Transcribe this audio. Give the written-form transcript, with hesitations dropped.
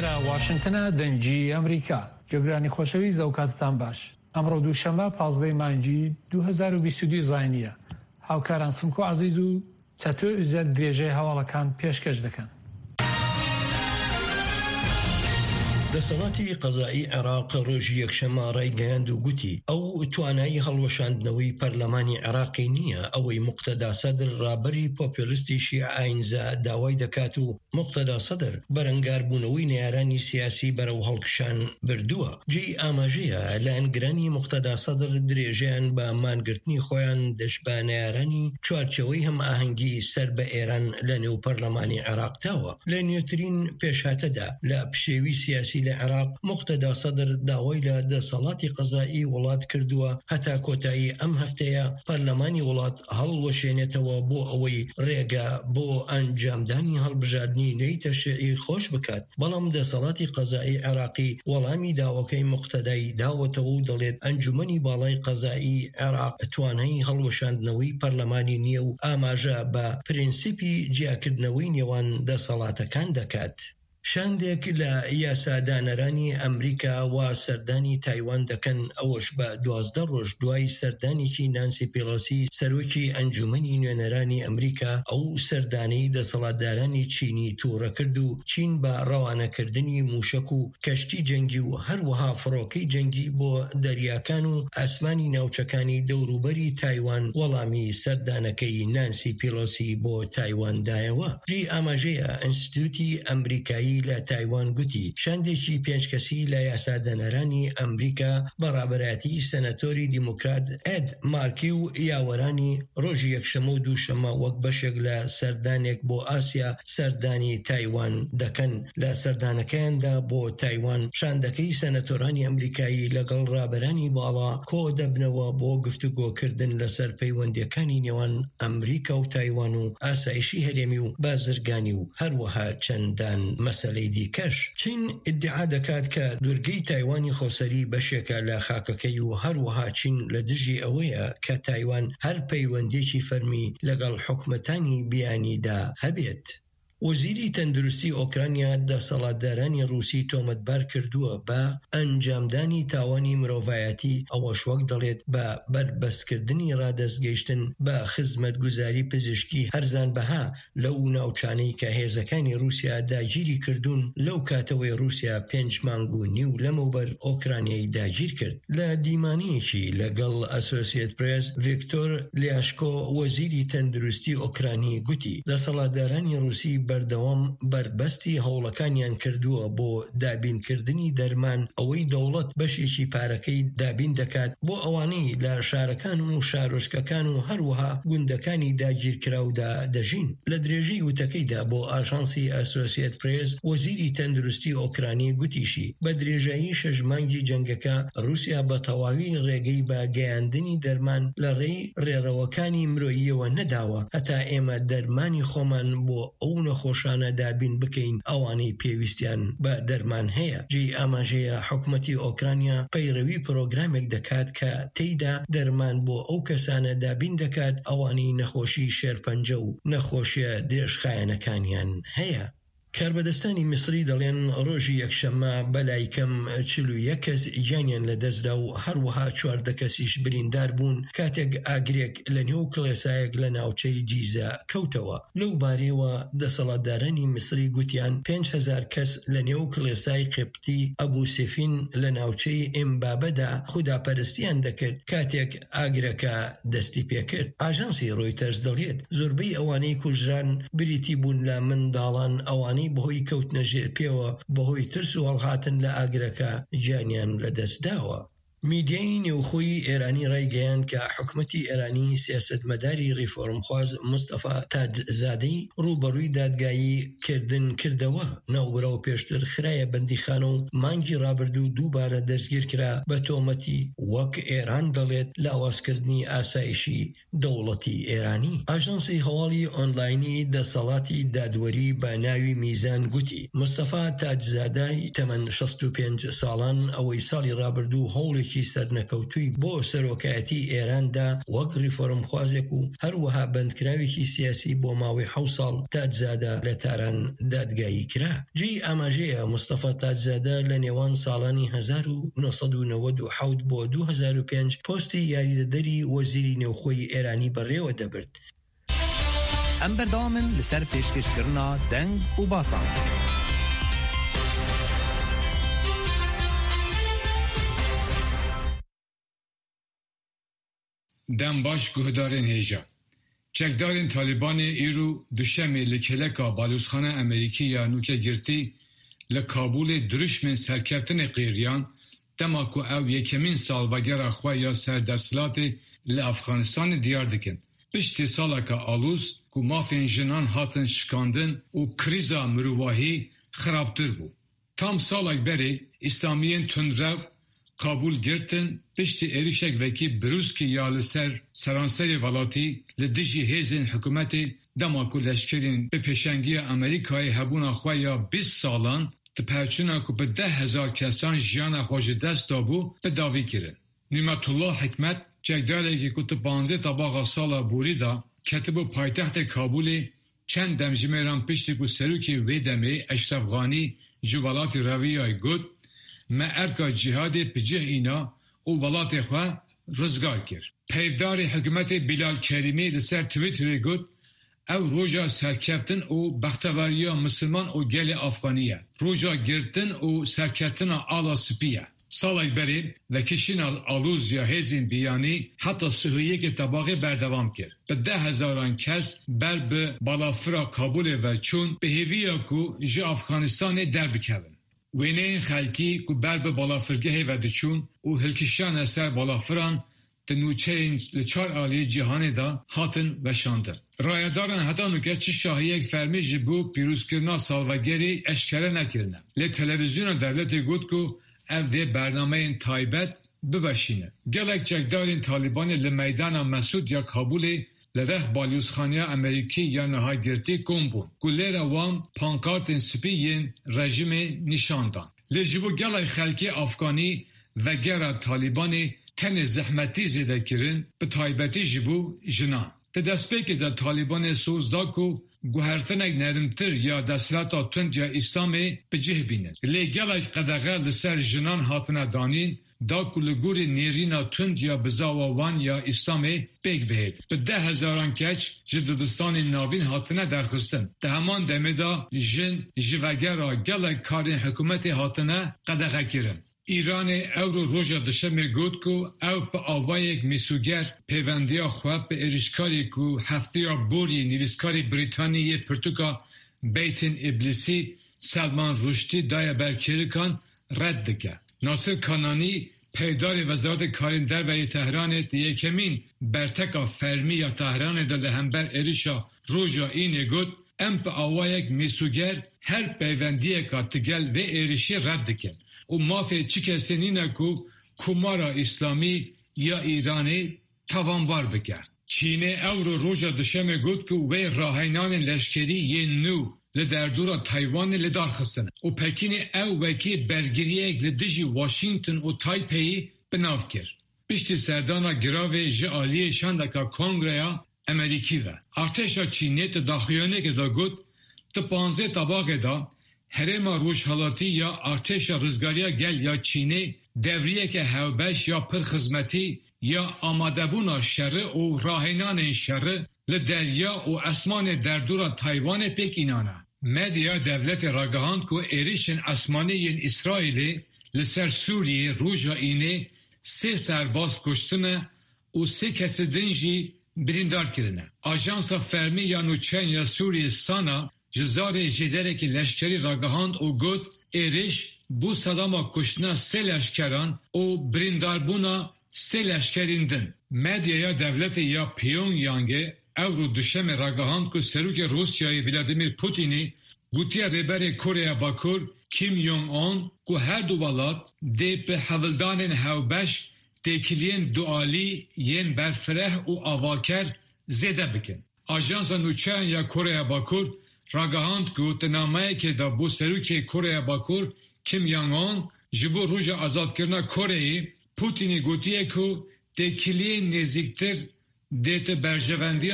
لە واشنتنە دەنگی ئەمریکا. گوێگرانی خۆشەویست ئەوکاتەتان باش. ئەمڕۆ دووشەممە 15 مانگی 2022 زاینییە. هاوکاران سمکۆ عەزیز و چەتۆ ئوزەل درێژەی هەواڵەکان پێشکەش دەکەن. دەسەڵاتی قەزائی عێراق ڕۆژی یەکشەممە ڕایگەیاند و گوتی، ئەو توانای هەڵوەشاندنەوەی پەرلەمانی عێراقی نییە، ئەوەی موقتەدا سەدر ڕابەری پۆپیۆلستی شیعە ئاینزا داوای دەکات و موقتەدا سەدر بەرەنگاربوونەوەی نەیارانی سیاسی بەرەو هەڵکشان بردووە. جێی ئاماژەیە لایەنگرانی موقتەدا سەدر درێژەیان بە مانگرتنی خۆیان دژ بە نەیارانی چوارچێوەی هەمئاهەنگی سەر بە ئێران لە نێو پەرلەمانی عێراق داوە. لە نوێترین پێشهاتەدا لە پشێوی سیاسی لە عێراق، موقتەدا سەدر داوای لە دەسەڵاتی قەزائی وڵات کردووە هەتا کۆتایی ئەم هەفتەیە پەرلەمانی وڵات هەڵوەشێنێتەوە بۆ ئەوەی رێگە بۆ ئەنجامدانی هەڵبژاردنی نوێی تەشریعی خۆش بکات، بەڵام دەسەڵاتی قەزائی عێراقی وەڵامی داواکەی موقتەدای داوەتەوە و دەڵێت ئەنجومەنی باڵای قەزائی عێراق توانای هەڵوەشاندنەوەی پەرلەمانی نییە و ئاماژە بە پرنسیپی جیاکردنەوەی نێوان دەسەڵاتەکان دەکات. شاندێک لە یاسادانەرانی ئەمریکا وا سەردانی تایوان دەکەن، ئەوەش بە 12 ڕۆژ دوای سەردانێکی نانسی پیڵۆسی سەرۆکی ئەنجومەنی نوێنەرانی ئەمریکا، ئەو سەردانەی دەسەڵاتدارانی چینی توڕە کرد و چین بە ڕەوانەکردنی موشەک و کەشتی جەنگی و هەروەها فڕۆکەی جەنگی بۆ دەریاکان و ئاسمانی ناوچەکانی دەوروبەری تایوان وەڵامی سەردانەکەی نانسی پیڵۆسی بۆ تایوان دایەوە. جێی ئاماژەیە ئینستتیوتی ئەمریکایی لە تایوان گوتی شاندێکی پێنج کەسی لە یاسادانەرانی ئەمریکا بە ڕابەرایەتی سەناتۆری دیموکرات ئێد مارکی و یاوەرانی ڕۆژی یەکشەممە و دووشەممە وەک بەشێک لە سەردانێک بۆ ئاسیا سەردانی تایوان دەکەن. لە سەردانەکەیاندا بۆ تایوان، شاندەکەی سەنەتۆرانی ئەمریکایی لەگەڵ ڕابەرانی باڵا کۆدەبنەوە بۆ گفتوگۆکردن لەسەر پەیوەندییەکانی نێوان ئەمریکا و تایوان و ئاسایشی هەرێمی و بازرگانی و هەروەها چەندان مەسەلەی دیکەش. چین ئیدعا دەکات کە دورگەی تایوانی خۆسەری بەشێکە لە خاکەکەی و هەروەها چین لە دژی ئەوەیە کە تایوان هەر پەیوەندییەکی فەرمی لەگەڵ حکومەتانی بیانیدا هەبێت. وەزیری تەندروستی ئۆکرانیا دەسەڵاتدارانی ڕووسی تۆمەتبار کردووە بە ئەنجامدانی تاوانی مرۆڤایەتی، ئەوەش وەک دەڵێت بە بەربەستکردنی ڕادەستگەیشتن بە خزمەتگوزاری پزیشکی هەرزانبەها لەو ناوچانەی کە هێزەکانی ڕووسیا داگیری کردوون لەو کاتەوەی ڕووسیا پێنج مانگ و نیو لەمەوبەر ئۆکرانیای داگیرکرد. لە دیمانەیەکی لەگەڵ ئەسۆسیەت پرێس، ڤیکتۆر لیاشکۆ وەزیری تەندروستی ئۆکرانی گوتی، دەسەڵاتدارانی ڕووسی بەردەوام بەربەستی هەوڵەکانیان کردووە بۆ دابینکردنی دەرمان، ئەوەی دەوڵەت بەشێکی پارەکەی دابین دەکات بۆ ئەوانەی لە شارەکان و شارۆچکەکان و هەروەها گوندەکانی داگیرکراودا دەژین. لە درێژەی وتەکەیدا بۆ ئاژانسی ئەسۆسیەت پرێس، وەزیری تەندروستی ئۆکرانی گوتیشی، بە درێژایی شەش مانگی جەنگەکە، ڕووسیا بە تەواوی ڕێگەی بە گەیاندنی دەرمان لە ڕێی ڕێڕەوەکانی مرۆییەوە نەداوە هەتا ئێمە دەرمانی خۆمان بۆ ئەو نەخۆشانە دابین بکەین ئەوانەی پێویستیان بە دەرمان هەیە. جێی ئاماژەیە حکومەتی ئۆکرانیا پەیڕەوی پرۆگرامێک دەکات کە تێیدا دەرمان بۆ ئەو کەسانە دابین دەکات ئەوانەی نەخۆشی شێرپەنجە و نەخۆشیە درێژخایەنەکانیان هەیە. کاربەدەستانی میسری دەڵێن ڕۆژی یەکشەممە بەلایکەم 41 کەس گیانیان لەدەستدا و هەروەها 14 کەسیش بریندار بوون کاتێک ئاگرێک لە نێو کڵێسایەک لە ناوچەی جیزە کەوتەوە. لەو بارەیەوە دەسەڵاتدارانی میسری گوتیان 5000 کەس لە نێو کڵێسای قیبتی ئەبو سیفین لە ناوچەی ئیمبابەدا خوداپەرستیان دەکرد کاتێک ئاگرەکە دەستیپێکرد. ئاژانسی ڕۆیتەرز دەڵێت، زۆربەی ئەوانەی کوژران بریتی بوون لە منداڵان، ئەوانەی بەهۆی کەوتنە ژێر پێوە بەهۆی ترس و هەڵهاتن لە ئاگرەکە گیانیان لەدەستداوە. میدیای نێوخۆی ئێرانی ڕایگەیاند کە حکومەتی ئێرانی سیاسەتمەداری ڕیفۆرمخواز مستەفا تاجزادەی ڕووبەڕووی دادگایی کردن کردەوە. ناوبراو پێشتر خرایە بەندیخانە و مانگی ڕابردوو دووبارە دەستگیرکرا بە تۆمەتی وەک ئێران دەڵێت لاوازکردنی ئاسایشی دەوڵەتی ئێرانی. ئاژانسی هەواڵی ئۆنلاینی دەسەڵاتی دادوەری بە ناوی میزان گوتی، مستەفا تاجزادای تەمەن 65 ساڵان ئەوەی ساڵی ڕابردوو هەوڵێکی. پێشنیارێکی سەرنەکەوتووی بۆ سەرۆکایەتی ئێران دا وەک ڕیفۆرمخوازێک و هەروەها بەندکراوێکی سیاسی بۆ ماوەی حەوت ساڵ تاجزادە لە تاران دادگایی کرا. جێی ئاماژەیە مستەفا تاجزادە لە نێوان ساڵانی 1997 بۆ 2005 پۆستی یاریدەدەری وەزیری نێوخۆی ئێرانی بەڕێوە دەبرد. Em berdewam in li ser pêşkêşkirina deng û basan. Dem baş guhdarên hêja. Çekdarên Talîbanê îro Duşemê li kêleka Balozxana Amerîkî ya nûke girtî li Kabûlê dirûşmên serkeftinê qêriyan dema ku ew yekemîn salvegera xwe ya ser desthilatê li Efxanistanê diyar dikin. Piştî saleke aloz ku mafên jinan hatin şikandin û krîza mirovahî xirabtir bû. Tam salek berê Îslamiyên tundrev Kabûl girtin piştî êrişek wekî brûskî ya li ser seranserê welatî li dijî hêzên hikûmetê dema ku leşkerên bi pêşengiya Amerîkayê hebûna xwe ya 20 salan di pevçûna ku bi 10,000 kesan jiyana xwe ji dest dabû bi dawî kirin. Nîmetullah Hikmet çekdarekî ku di 15 tebaxa sala borî de ketibû paytextê Kabûlê çend demjimêran piştî ku serokê wê demê Eşref Ghanî ji welatê reviyayê got Me erka cîhadê bi cih îna û welatê xwe rizgar kir. Peyvdarê hikûmetê Bîlal Kerîmî li ser Twitterê got, Ew roja serkeftin û bexteweriya misilman û gelê Afxanî ye. Roja girtin û serkeftina ala spî ye. Salek berê vekişîna aloziya hêzên biyanî heta sihûyekê tebaxê berdewam kir. Bi 10,000 kes ber bi balafira Kabûlê ve çûn bi hêviya ku ji Afxanistanê derbikevin. Wêneyên xelkî ku ber bi balafirgehê ve diçûn û hilkişiyane ser balafiran di nûçeyên li çar aliyê cîhanê de hatin weşandin. Rayedaran heta nûke çi şahiyek fermî ji bo pîrozkirina salvegerê eşkere nekirine. Lê televîzyona dewletê got ku ev dê bernameyên taybet biweşîne. Gelek çekdarên Talîbanê li meydana Mesûd ya Kabûlê li rex balyozxaneya Amerîkî ya niha girtî kom bûn ku lêre wan pankartên spî yên rejîmê nîşan dan. Lê ji bo gelek xelkê Afganî vegera Talîbanê tenê zehmetî zêde kirin, bi taybetî ji bo jinan. Di destpêkê de Talîbanê soz da ku guhertinek nermtir ya desthilata tund ya Îslamê bi cih bînin. Lê gelek qedexe li ser jinan hatine danîn da ku li gorî nêrîna tund ya bizawa wan ya Îslamê pêk bihêt. Bi 10,000 keç ji dibistanên navîn hatine derxistin. Di heman demê de jin ji vegera gelek karên hikûmetê hatine qedexekirin. Îranê ewro roja Duşemê got ku ew bi awayek mîsûger pêwendiya xwe bi êrişkarê ku hefteya borî nivîskarê Brîtanî yê pirtûka Beytên Îblîsî Selman Ruşdî daye ber kêrikan red dike. Nasir Kananî peyvdarê Wezaretê Karên Derve yê Tehranê di yekemîn berteka fermî ya Tehranê de li hember êrişa roja Înê got, Em bi awayek mîsûger her peyvendiyeka digel vê êrişê red dikin û mafê çi kesê nîne ku Komara Îslamî ya Îranê tawanbar bike. Çînê ewro roja Duşemê got ku wê raheynanên leşkerî yên nû li derdora Taywanê li dar xistine û Pekînê ew wekî bergiriyek li dijî Washington û Taipeyê bi nav kir. Piştî serdana giravê ji aliyê şandeka Kongreya Amerîkî ve. Artêşa Çînê di daxuyaniyekê de got, Di 15 tebaxê de Herêma Rojhilatî ya Artêşa Rizgariya Gel ya Çînê devriyeke hevbeş ya pir xizmetî ya amadebûna şeri û rahênanên şeri li derya û esmanê derdora Taywanê pêk înane. Medya dewletê ragihand ku êrişên esmanî yên Îsraîlê li ser Sûriyê roja Înê sê serbaz kuştine û sê kesê din jî birîndar kirine. Ajansa fermî ya nûçeyan ya Sûriyê Sana ji zarê jêderekî leşkerî ragihand û got êriş bû sedema kuştina sê leşkeran û birîndarbûna sê leşkerên din. Medyaya dewletê ya Pyongyangê ewro Duşemê ragihand ku Serokê Rûsyayê Vladimir Putinî gotiye Rêberê Koreya Bakur Kim Jong-un ku her du welat dê bi hewldanên hevbeş têkiliyên dualî yên berfireh û avaker zêde bikin. Ajansa nûçeyan ya Koreya Bakur ragihand ku di nameyekê de bo Serokê Koreya Bakur Kim Jong-un ji bo roja azadkirina Koreyê. Pûtînê gotiye ku têkiliyên nêzîktir dê di berjewendiya.